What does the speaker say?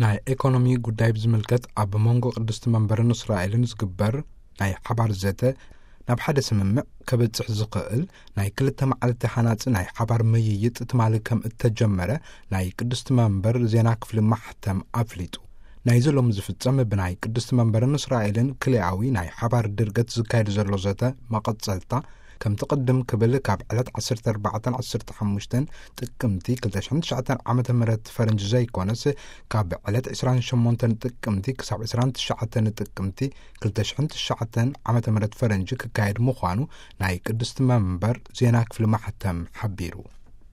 ናይ ኤኮኖሚ ጉዳይ ብዝምልከት ኣብ መንጎ ቅድስቲ መንበርን እስራኤልን ዝግበር ናይ ሓባር ዘተ ናብ ሓደ ስምምዕ ከበጽሕ ዝኽእል ናይ ክልተ መዓልቲ ሃናጺ ናይ ሓባር ምይይጥ ትማሊ ከም እተጀመረ ናይ ቅድስቲ መንበር ዜና ክፍሊ ማሕተም ኣፍሊጡ። ናይ ዘሎም ዝፍጸም ብናይ ቅድስቲ መንበርን እስራኤልን ክልኣዊ ናይ ሓባር ድርገት ዝካየድ ዘሎ ዘተ መቐጸልታ ከምቲ ቅድም ክብል ካብ ዕለት ዓሰርተ ኣርባዕተን ዓሰርተ ሓሙሽተን ጥቅምቲ ክልተ ሽሕን ትሽዓተን ዓመተ ምህረት ፈረንጂ ዘይኮነስ ካብ ዕለት ዕስራን ሸሞንተን ጥቅምቲ ክሳብ ዕስራን ትሽዓተን ጥቅምቲ ክልተ ሽሕን ትሽዓተን ዓመተ ምህረት ፈረንጂ ክካየድ ምዃኑ ናይ ቅድስቲ መንበር ዜና ክፍሊ ማሕተም ሓቢሩ።